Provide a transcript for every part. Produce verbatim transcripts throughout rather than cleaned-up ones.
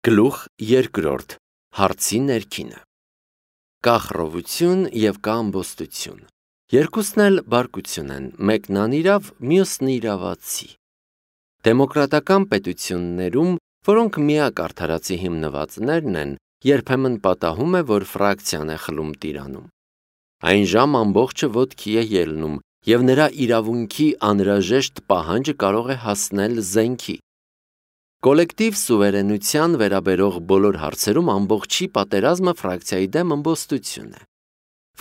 Գլուխ երկրորդ. Հարցի ներքինը։ Կա խռովություն և կա ամբոստություն։ Երկուսն էլ բարկություն են, մեկն անիրավ, մյուսն իրավացի։ Դեմոկրատական պետություններում, որոնք միակ արդարացի հիմնվածներն են, երբեմն պատահում է, որ ֆրակցիան է խլում տիրանում։ Այն ժամ ամբողջը ոտքի է ելնում, և նրա իրավունքի անհրաժեշտ պահանջը կարող է հասնել զենքի։ Կոլեկտիվ սուվերենության վերաբերող բոլոր հարցերում ամբողջի պատերազմը ֆրակցիայի դեմ ամբոստություն է։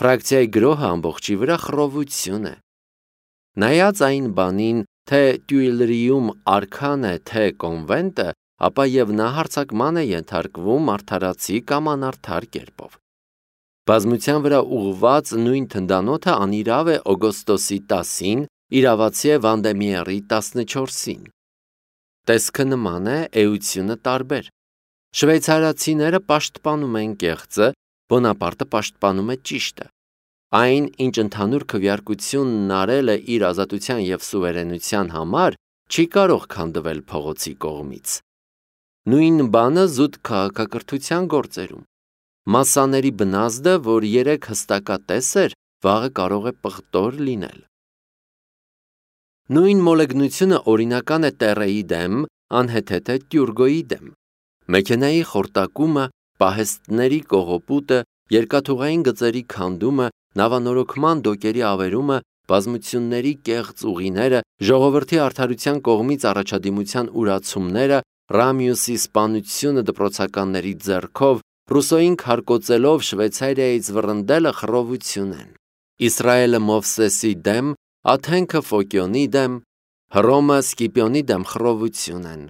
Ֆրակցիայի գրոհը ամբողջի վրա խռովություն է։ Նայած այն բանին, թե Տյուիլրիում արքան է, թե կոնվենտը, ապա և նա հարձակման է ենթարկվում արդարացի կամ անարդար կերպով։ Բազմության վրա ուղղված նույն թնդանոթը անիրավ է օգոստոսի տասին, իրավացի է Վանդեմիեռի տասնչորսին։ Տեսքը նման է, էությունը տարբեր։ Շվեյցարացիները պաշտպանում են կեղծը, Բոնապարտը պաշտպանում է ճիշտը։ Այն, ինչ ընդհանուր քվեարկությունն արել է իր ազատության և սուվերենության համար, չի կարող քանդվել փողոցի կողմից։ Նույն բանը զուտ քաղաքակրթության գործերում։ Մասսաների բնազդը, որ երեկ հստակատես էր, վաղը կարող է պղտոր լինել։ Նույն մոլեգնությունը օրինական է Տեռեի դեմ, անհեթեթ է Տյուրգոյի դեմ։ Մեքենայի խորտակումը, պահեստների կողոպուտը, երկաթուղային գծերի քանդումը, նավանորոգման դոկերի ավերումը, բազմությունների կեղծ ուղիները, ժողովրդի արդարության կողմից առաջադիմության ուրացումները, Ռամյուսի սպանությունը դպրոցականների ձեռքով, Ռուսոյին քարկոծելով Շվեյցարիայից վռնդելը խռովություն են։ Իսրայելը Մովսեսի դեմ, Աթենքը Ֆոկիոնի դեմ, Հռոմը Սկիպիոնի դեմ խռովություն են։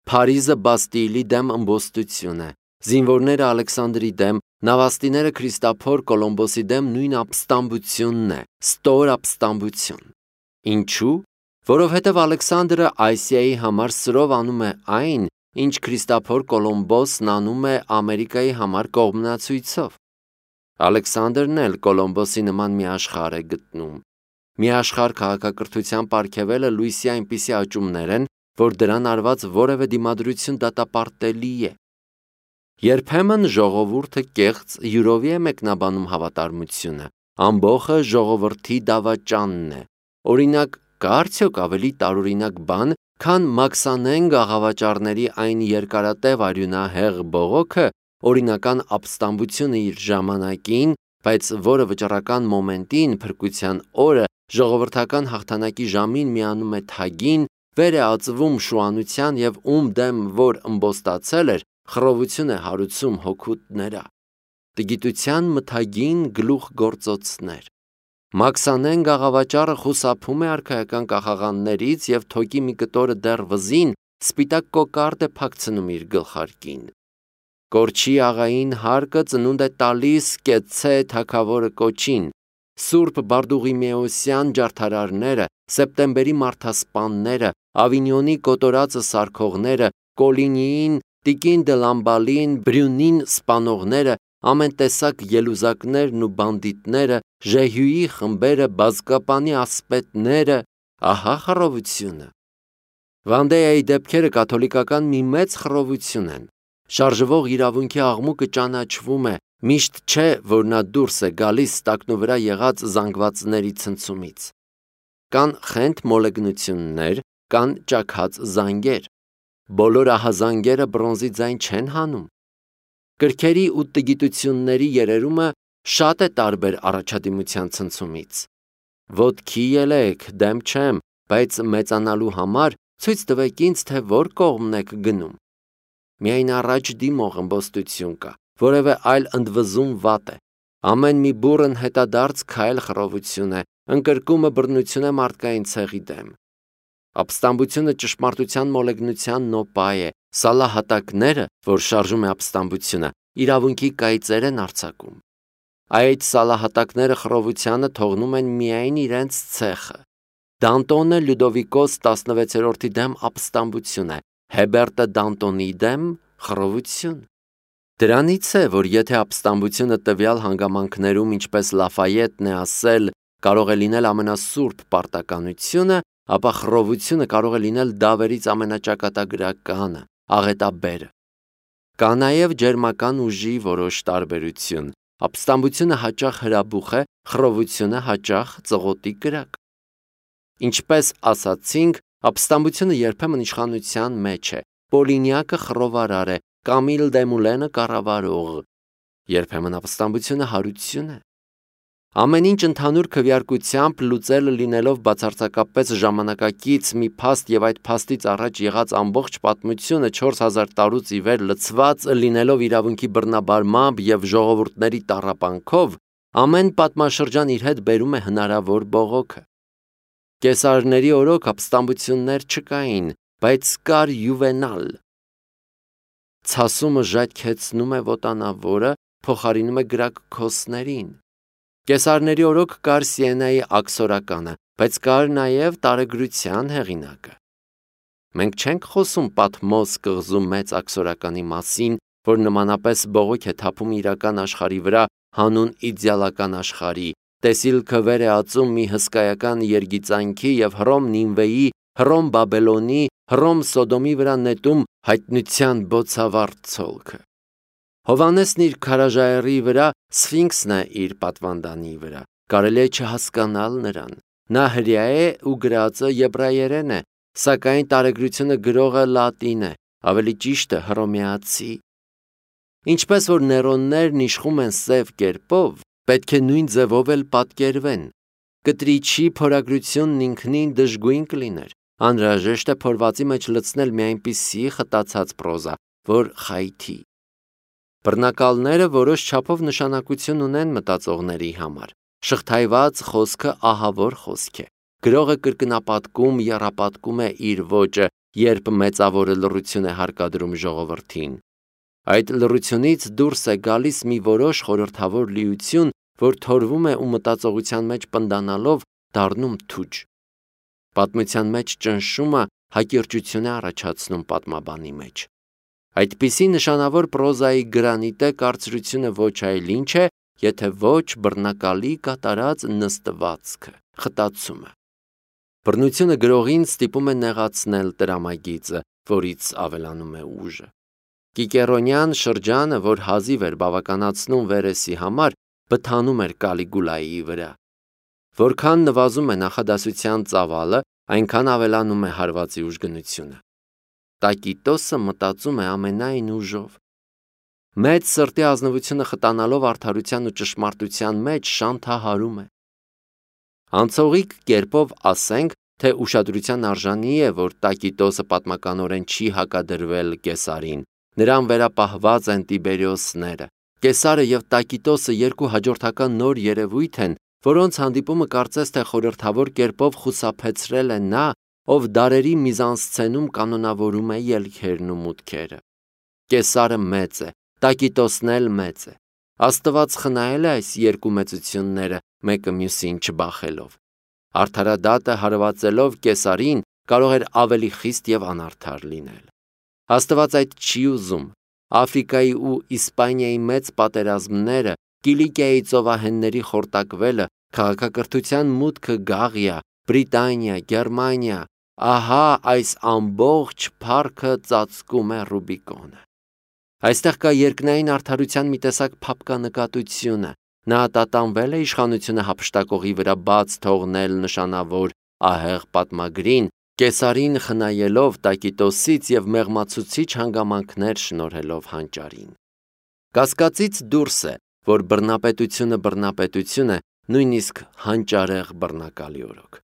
Փարիզը Բաստիլի դեմ ըմբոստություն է, զինվորները Ալեքսանդրի դեմ, նավաստիները Քրիստափոր Կոլոմբոսի դեմ նույն ապստամբությունն է, ստոր ապստամբություն։ Ինչու՞։ Որովհետև Ալեքսանդրը Ասիայի համար սրով անում է այն, ինչ Քրիստափոր Կոլոմբոսն անում է Ամերիկայի համար կողմնացույցով։ Ալեքսանդրն էլ Կոլոմբոսի նման մի աշխարհ է գտնում։ Մի աշխարհ քաղաքակրթության պարգևելը լույսի այնպիսի աճումներ են, որ դրան արված որևէ դիմադրություն դատապարտելի է։ Երբեմն ժողովուրդը կեղծ յուրովի է մեկնաբանում հավատարմությունը, ամբոխը ժողովրդի դավաճանն է։ Օրինակ, կա արդյոք ավելի տարօրինակ բան, քան Մաքսանեն գաղավաճառների այն երկարատև արյունահեղ բողոքը, օրինական ապստամբությունը իր ժամանակին, բայց որը վճռական մոմենտին, փրկության օրը, ժողովրդական հաղթանակի ժամին միանում է թագին, վեր է ածվում շուանության և ում դեմ որ ըմբոստացել էր, խռովություն է հարուցում հոգուտներա։ Տգիտության մթագին գլուխգործոցներ։ Մաքսանեն գաղավաճառը խուսափում է արքայական կախաղաններից և թոկի մի կտորը դեռ վզին սպիտակ կոկարդ է փակցնում իր գլխարկին։ Կորչի աղային հարկը ծնունդ է տալիս կեցցե թագավորը կոչին։ Սուրբ Բարդուղիմեոսյան ջարդարարները, Սեպտեմբերի մարդասպանները, Ավինյոնի կոտորածը սարքողները, Կոլինիին, Տիկին դը Լամբալին, Բրյունին սպանողները, ամեն տեսակ ելուզակներն ու բանդիտները, Ժեհյուի խմբերը, բազկապանի ասպետները, ահա խռովությունը։ Վանդեայի դեպքերը կաթոլիկական մի մեծ խռովություն են։ Շարժվող իրավունքի աղմուկը ճանաչվում է, միշտ չէ, որ նա դուրս է գալիս տակնու վրա եղած զանգվածների ցնցումից։ Կան խենթ մոլեգնություններ, կան ճաքած զանգեր։ Բոլոր ահազանգերը բրոնզի ձայն չեն հանում։ Կրքերի ու տգիտությունների երերումը շատ է տարբեր առաջադիմության ցնցումից։ Ոտքի ելեք, դեմ չեմ, բայց մեծանալու համար ցույց տվեք ինձ, թե որ կողմն եք գնում։ Միայն առաջ դիմող ըմբոստություն կա, որևէ այլ ընդվզում վատ է։ Ամեն մի բուռն հետադարձ քայլ խռովություն է, ընկրկումը բռնություն է մարդկային ցեղի դեմ։ Ապստամբությունը ճշմարտության մոլեգնության նոպա է, սալահատակները, որ շարժում է ապստամբությունը, իրավունքի կայծեր են արձակում։ Այդ սալահատակները խռովությանը թողնում են միայն իրենց ցեխը։ Դանտոնը Լյուդովիկոս տասնվեցերորդի դեմ ապստամբություն է, Հեբերտը Դանտոնի դեմ խռովություն։ Դրանից է, որ եթե ապստամբությունը տվյալ հանգամանքներում, ինչպես Լաֆայետն է ասել, կարող է լինել ամենասուրբ պարտականությունը, ապա խռովությունը կարող է լինել դավերից ամենաճակատագրականը, աղետաբերը։ Կա նաև ջերմական ուժի որոշ տարբերություն։ Ապստամբությունը հաճախ հրաբուխ է, խռովությունը հաճախ ծղոտի կրակ։ Ինչպես ասացինք, ապստամբությունը երբեմն իշխանության մեջ է, Պոլինյակը խռովարար է, Կամիլ Դեմուլենը կառավարող։ Երբեմն ապստամբությունը հարություն է։ Ամեն ինչ ընդհանուր քվեարկությամբ լուծելը լինելով բացարձակապես ժամանակակից մի փաստ եւ այդ փաստից առաջ եղած ամբողջ պատմությունը չորս հազար տարուց ի վեր լցված լինելով իրավունքի բռնաբարմամբ եւ ժողովուրդների տառապանքով, ամեն պատմաշրջան իր հետ բերում է հնարավոր բողոքը։ Կեսարների օրոք ապստամբություններ չկային, բայց կար Յուվենալ։ Ցասումը ժայթքեցնում է ոտանավորը, փոխարինում է գրակքոսներին։ Կեսարների օրոք կար Սիենայի աքսորականը, բայց կար նաև տարեգրության հեղինակը։ Մենք չենք խոսում Պատմոս կղզու մեծ աքսորականի մասին, որ նմանապես բողոք է թափում իրական աշխարհի վրա, հանուն իդեալական աշխարհի, տեսիլքը վեր է ածում մի հսկայական երգիծանքի եւ Հռոմ Նինվեի, Հռոմ Բաբելոնի, Հռոմ Սոդոմի վրա նետում հայտնության բոցավառ ցոլքը։ Հովանեսն իր քարաժայռի վրա, Սֆինքսն է իր պատվանդանի վրա, կարելի է չհասկանալ նրան։ Նա հրեա է ու գրածը եբրայերեն է, սակայն տարեգրությունը գրողը լատին է, ավելի ճիշտը հռոմեացի։ Ինչպես որ նեյրոններն իշխում են սև կերպով, պետք է նույն ձևով էլ պատկերվեն։ Կտրիչի փորագրությունն ինքնին դժգույն կլիներ, անհրաժեշտ է փորվածի մեջ լցնել մի այնպիսի խտացած պրոզա, որ խայթի։ Բռնակալները որոշ չափով նշանակություն ունեն մտածողների համար։ Շղթայված խոսքը ահավոր խոսք է։ Գրողը կրկնապատկում, եռապատկում է իր ոճը, երբ մեծավորը լռություն է հարկադրում ժողովրդին։ Այդ լռությունից դուրս է գալիս մի որոշ խորհրդավոր լիություն, որ թորվում է ու մտածողության մեջ պնդանալով դառնում թուջ։ Պատմության մեջ ճնշումը հակիրճություն է առաջացնում պատմաբանի մեջ։ Այդպիսի նշանավոր պրոզայի գրանիտե կարծրությունը ոչ այլ ինչ է, եթե ոչ բռնակալի կատարած նստվածքը, խտացումը։ Բռնությունը գրողին ստիպում է նեղացնել տրամագիծը, որից ավելանում է ուժը։ Կիկերոնյան շրջանը, որ հազիվ էր բավականացնում Վերեսի համար, բթանում էր Կալիգուլայի վրա։ Որքան նվազում է նախադասության ծավալը, այնքան ավելանում է հարվածի ուժգնությունը։ Տակիտոսը մտածում է ամենայն ուժով։ Մեծ սրտի ազնվությունը խտանալով արդարության ու ճշմարտության մեջ շանթահարում է։ Անցողիկ կերպով ասենք, թե ուշադրության արժանի է, որ Տակիտոսը պատմականորեն չի հակադրվել Կեսարին, նրան վերապահված են Տիբերիոսները։ Կեսարը եւ Տակիտոսը երկու հաջորդական նոր երևույթ են, որոնց հանդիպումը կարծես թե խորհրդավոր կերպով խուսափեցրել է նա, ով դարերի միզանսցենում կանոնավորում է ելքերն ու մուտքերը։ Կեսարը մեծ է, Տակիտոսն էլ մեծ է։ Աստված խնայել է այս երկու մեծությունները, մեկը մյուսին չբախելով։ Արդարադատը հարվածելով Կեսարին կարող էր ավելի խիստ եւ անարդար լինել։ Աստված այդ չի ուզում։ Աֆրիկայի ու Իսպանիայի մեծ պատերազմները, Կիլիկիայի ծովահենների խորտակվելը, քաղաքակրթության մուտքը Գաղիա, Բրիտանիա, Գերմանիա, ահա այս ամբողջ փառքը ծածկում է Ռուբիկոնը։ Այստեղ կա երկնային արդարության մի տեսակ փափկանկատությունը։ Նա տատանվել է իշխանությունը հափշտակողի վրա բաց թողնել նշանավոր ահեղ պատմագրին, Կեսարին խնայելով Տակիտոսից եւ մեղմացուցիչ հանգամանքներ շնորհելով հանճարին։ Կասկածից դուրս է, որ բռնապետությունը բռնապետություն է, նույնիսկ հանճարեղ բռնակալի օրոք։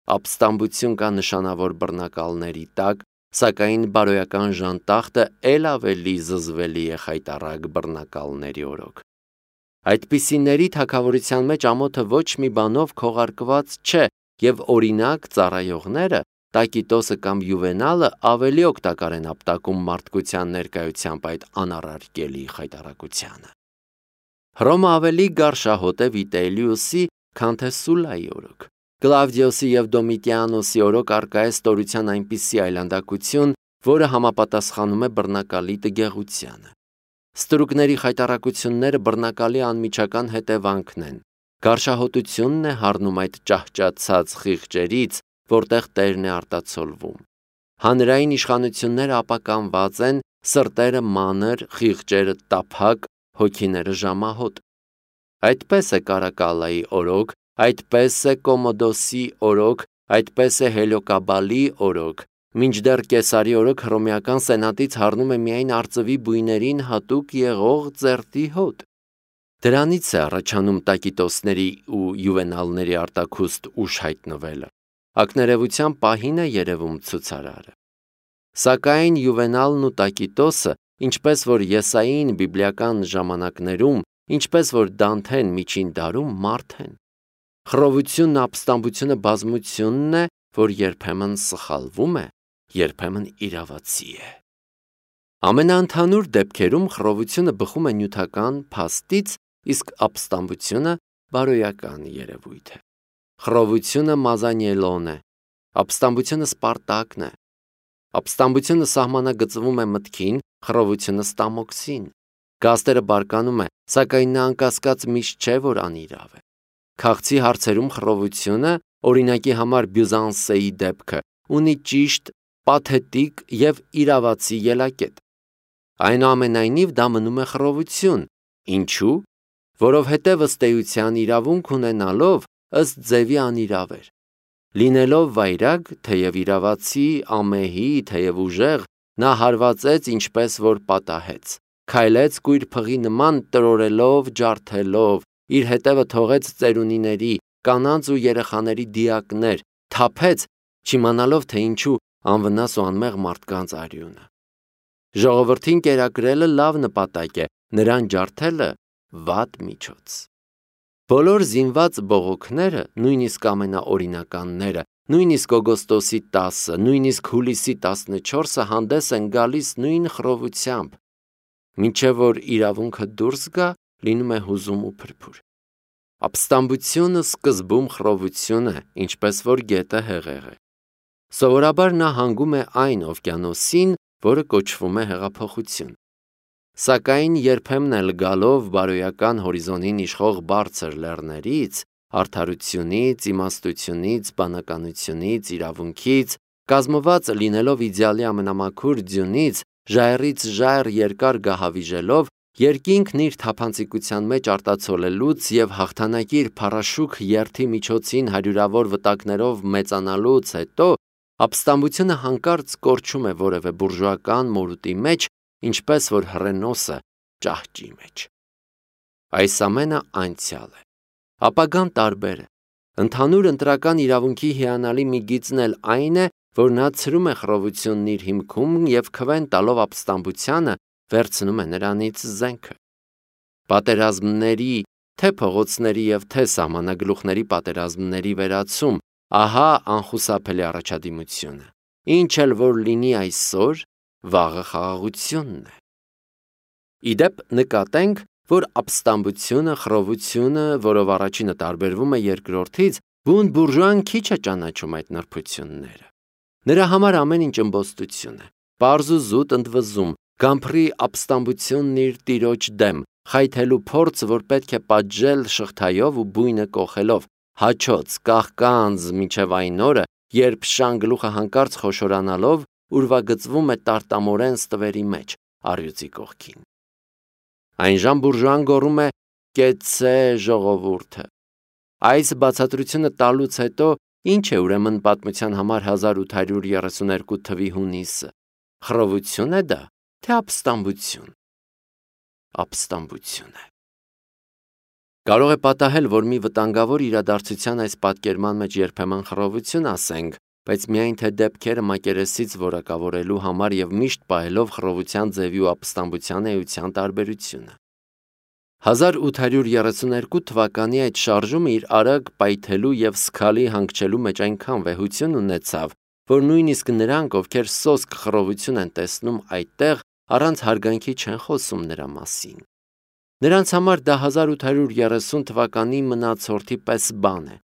Ապստամբություն կա նշանավոր բռնակալների տակ, սակայն բարոյական ժանտախտը ել ավելի զզվելի է խայտառակ բռնակալների օրոք։ Այդպիսիների թագավորության մեջ ամոթը ոչ մի բանով քողարկված չէ, եւ օրինակ ծառայողները Տակիտոսը կամ Յուվենալը ավելի օգտակար են ապտակում մարդկության ներկայությամբ այդ անառարկելի խայտառակությանը։ Հռոմը ավելի գարշահոտ է Վիտելիուսի, քան թե Սուլայի օրոք։ Կլավդիոսի եւ Դոմիտիանոսի օրոք արկա է ստորության այնպիսի այլանդակություն, որը համապատասխանում է բռնակալի տգեղությանը։ Ստրուկների խայտառակությունները բռնակալի անմիջական հետևանքն են։ Գարշահոտությունն է հառնում այդ ճահճացած խիղճերից, որտեղ տերն է արտացոլվում։ Հանրային իշխանությունները ապականված են, սրտերը մանր, խիղճերը տափակ, հոգիները ժամահոտ։ Այդպես է Կարակալայի օրոք, այդպես է Կոմոդոսի օրոք, այդպես է Հելիոկաբալի օրոք, մինչդեռ Կեսարի օրոք հռոմեական սենատից հառնում է միայն արծվի բույներին հատուկ եղող ծերտի հոտ։ Դրանից է առաջանում Տակիտոսների ու Յուվենալների արտաքուստ ուշ հայտնվելը։ Ակներևության պահին է երևում ցուցարարը։ Սակայն Յուվենալն ու Տակիտոսը, ինչպես որ Եսային բիբլիական ժամանակներում, ինչպես որ Դանթեն միջին դարում մարդ են։ Խռովությունն ու ապստամբությունը բազմությունն է, որ երբեմն սխալվում է, երբեմն իրավացի է։ Ամենաընդհանուր դեպքերում խռովությունը բխում է նյութական փաստից, իսկ ապստամբությունը բարոյական երևույթ է։ Խռովությունը մազանիելոն է, ապստամբությունը սպարտակն է։ Ապստամբությունը սահմանագծվում է մտքին, խռովությունը ստամոքսին։ Գաստերը բարկանում է, սակայն նա անկասկած միշտ չէ, որ անիրավ է։ Քաղցի հարցերում խռովությունը, օրինակի համար Բյուզանսեի դեպքը, ունի ճիշտ, պաթետիկ և իրավացի ելակետ։ Այնուամենայնիվ դա մնում է խռովություն։ Ինչու՞։ Որովհետև ըստ էության իրավունք ունենալով ըստ ձևի անիրավ էր։ Լինելով վայրագ, թեև իրավացի, ամեհի, թեև ուժեղ, նա հարվածեց ինչպես որ պատահեց, քայլեց կույր փղի նման տրորելով, ջարդելով, իր հետևը թողեց ծերունիների, կանանց ու երեխաների դիակներ, թափեց, չիմանալով թե ինչու անվնաս ու անմեղ մարդկանց արյունը։ Ժողովրդին կերակրելը լավ նպատակ է, նրան ջարդելը վատ միջոց։ Բոլոր զինված բողոքները, նույնիսկ ամենաօրինականները, նույնիսկ օգոստոսի տասը, նույնիսկ հուլիսի տասնչորսը հանդես են գալիս նույն խռովությամբ, մինչև որ իրավունքը դուրս գա, լինում է հուզում ու փրփուր։ Ապստամբությունը սկզբում խռովություն է, ինչպես որ գետը հեղեղ է։ Սովորաբար նա հանգում է այն օվկիանոսին, որը կոչվում է հեղափոխություն։ Սակայն երբեմն էլ գալով բարոյական հորիզոնին իշխող բարձր լեռներից, արդարությունից, իմաստությունից, բանականությունից, իրավունքից, կազմված լինելով իդեալի ամենամաքուր ձյունից, ժայռից ժայռ երկար գահավիժելով, երկինքն իր թափանցիկության մեջ արտացոլելուց և հաղթանակի իր փառաշուք երթի միջոցին հարյուրավոր վտակներով մեծանալուց հետո, ապստամբությունը հանկարծ կորչում է որևէ բուրժուական մորուտի մեջ, ինչպես որ հռենոսը ճահճի մեջ։ Այս ամենը անցյալ է։ Ապագան տարբեր է։ Ընդհանուր ընտրական իրավունքի հիանալի մի գիծն էլ այն է, որ նա ցրում է խռովությունն իր հիմքում և քվեն տալով ապստամբությանը, վերցնում է նրանից զենքը։ Պատերազմների, թե փողոցների և թե սահմանագլուխների պատերազմների վերացում, ահա անխուսափելի առաջադիմությունը։ Ինչ էլ որ լինի այսօր, վաղը խաղաղությունն է։ Իդեպ նկատենք, որ ապստամբությունը, խռովությունը, որով առաջինը տարբերվում է երկրորդից, բուն բուրժուան քիչ է ճանաչում այդ նրբությունները։ Նրա համար ամեն ինչ ըմբոստություն է, պարզ ու զուտ ընդվզում, գամփրի ապստամբությունն իր տիրոջ դեմ, խայթելու փորձ, որ պետք է պատժել շղթայով ու բույնը կոխելով, հաչոց, կաղկանձ մինչև այն օրը, երբ շան գլուխը հանկարծ խոշորանալով ուրվագծվում է տարտամորեն ստվերի մեջ, առյուծի կողքին։ Այնժամ բուրժուան գոռում է. «Կեցցե ժողովուրդը»։ Այս բացատրությունը տալուց հետո ինչ է ուրեմն պատմության համար հազար ութ հարյուր երեսուներկու թվի հունիսը։ Խռովություն է դա, թե ապստամբություն։ Ապստամբություն է։ Կարող է պատահել, որ մի վտանգավոր իրադարձության այս պատկերման մեջ երբեմն խռովություն ասենք, բայց միայն թե դեպքերը մակերեսից որակավորելու համար և միշտ պահելով խռովության ձևի ու ապստամբության էության տարբերությունը։ հազար ութ հարյուր երեսուներկու թվականի այդ շարժումը իր արագ պայթելու և սգալի հանգչելու մեջ այնքան վեհություն ունեցավ, որ նույնիսկ նրանք, ովքեր սոսկ խռովություն են տեսնում այդտեղ, առանց հարգանքի չեն խոսում նրա մասին։ Նրանց համար դա հազար ութ հարյուր երեսուն թվականի մնացորդի պես բան է։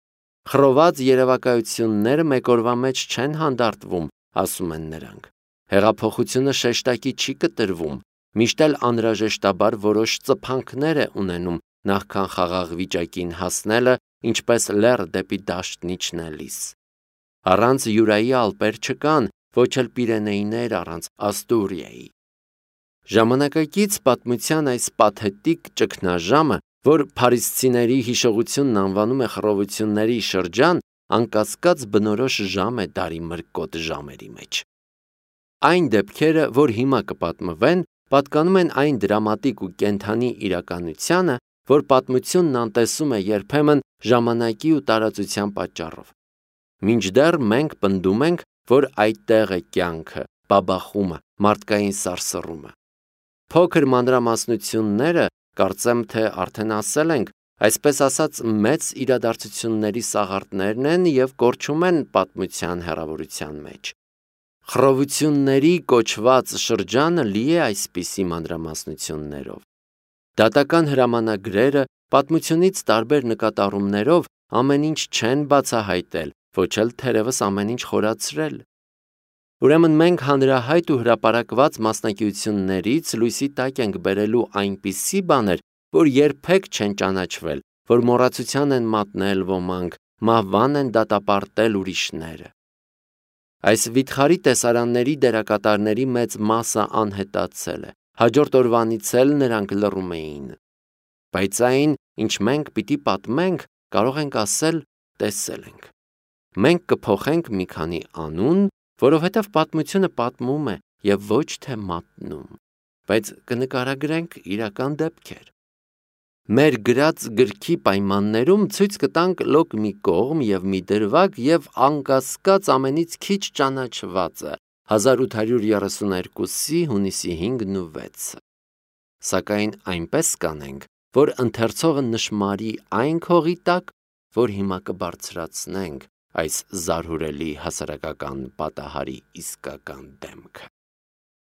Խռոված երևակայությունները մեկ օրվա մեջ չեն հանդարտվում, ասում են նրանք։ Հեղափոխությունը շեշտակի չի կտրվում, միշտ էլ անհրաժեշտաբար որոշ ծփանքներ է ունենում նախքան խաղաղ վիճակին հասնելը, ինչպես լեռ դեպի դաշտն իջնելիս։ Առանց Յուրայի ալպեր չկան, ոչ էլ Պիրենեիներ առանց Աստուրիայի։ Ժամանակակից պատմության այս պաթետիկ ճգնաժամը, որ փարիսցիների հիշողությունն անվանում է խռովությունների շրջան, անկասկած բնորոշ ժամ է դարի մրկոտ ժամերի մեջ։ Այն դեպքերը, որ հիմա կպատմվեն, պատկանում են այն դրամատիկ ու կենդանի իրականությանը, որ պատմությունն անտեսում է երբեմն ժամանակի ու տարածության պատճառով։ Մինչդեռ մենք պնդում ենք, որ այդտեղ է կյանքը, բաբախումը, մարդկային սարսռումը։ Փոքր մանրամասնությունները, կարծեմ թե արդեն ասել ենք, այսպես ասած մեծ իրադարձությունների սաղարթներն են և կորչում են պատմության հեռավորության մեջ։ Խռովությունների կոչված շրջանը լի է այսպիսի մանրամասնություններով։ Դատական հրամանագրերը պատմությունից տարբեր նկատառումներով ամեն ինչ չեն բացահայտել, ոչ էլ թերևս ամեն ինչ խորացրել։ Ուրեմն մենք հանրահայտ ու հրապարակված մասնագիտություններից լույսի տակ ենք բերելու այնպիսի բաներ, որ երբեք չեն ճանաչվել, որ մոռացության են մատնել ոմանք, մահվան են դատապարտել ուրիշները։ Այս վիթխարի տեսարանների դերակատարների մեծ մասը անհետացել է, հաջորդ օրվանից էլ նրանք լռում էին։ Բայց այն, ինչ մենք պիտի պատմենք, կարող ենք ասել, տեսել ենք։ Մենք կփոխենք մի քանի անուն, որովհետև պատմությունը պատմում է և ոչ թե մատնում, բայց կնկարագրենք իրական դեպքեր։ Մեր գրած գրքի պայմաններում ցույց կտանք լոկ մի կողմ և մի դրվագ և անկասկած ամենից քիչ ճանաչվածը հազար ութ հարյուր երեսուներկուսի հունիսի հինգն ու վեցը։ Սակայն այնպես կանենք, որ ընթերցողը նշմարի այն քողի տակ, որ հիմա կբարձրացնենք այս զարհուրելի հասարակական պատահարի իսկական դեմքը։